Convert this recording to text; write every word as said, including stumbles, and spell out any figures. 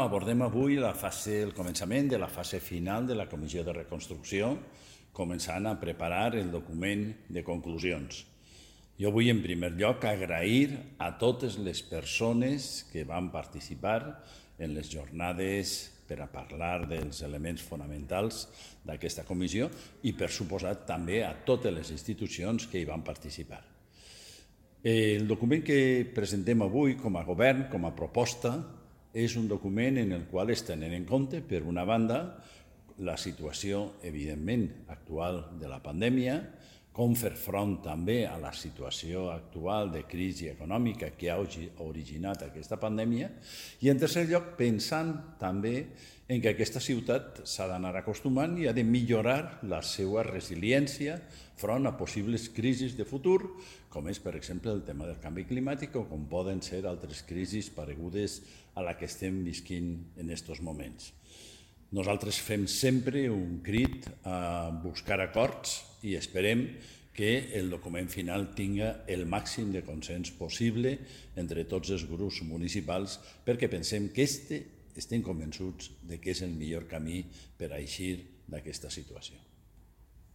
Abordem avui la fase, el començament de la fase final de la Comissió de Reconstrucció, començant a preparar el document de conclusions. Jo vull, en primer lloc, agrair a totes les persones que van participar en les jornades per a parlar dels elements fonamentals d'aquesta comissió i, per suposat, també a totes les institucions que hi van participar. El document que presentem avui com a govern, com a proposta, és un document en el qual es tenen en compte, per una banda, la situació, evidentment, actual de la pandèmia, com fer front també a la situació actual de crisi econòmica que ha originat aquesta pandèmia, i en tercer lloc, pensant també en que aquesta ciutat s'ha d'anar acostumant i ha de millorar la seva resiliència front a possibles crisis de futur, com és, per exemple, el tema del canvi climàtic o com poden ser altres crisis paregudes a la que estem visquint en aquests moments. Nosaltres fem sempre un crit a buscar acords i esperem que el document final tinga el màxim de consens possible entre tots els grups municipals, perquè pensem que este, estem convençuts de que és el millor camí per a eixir d'aquesta situació.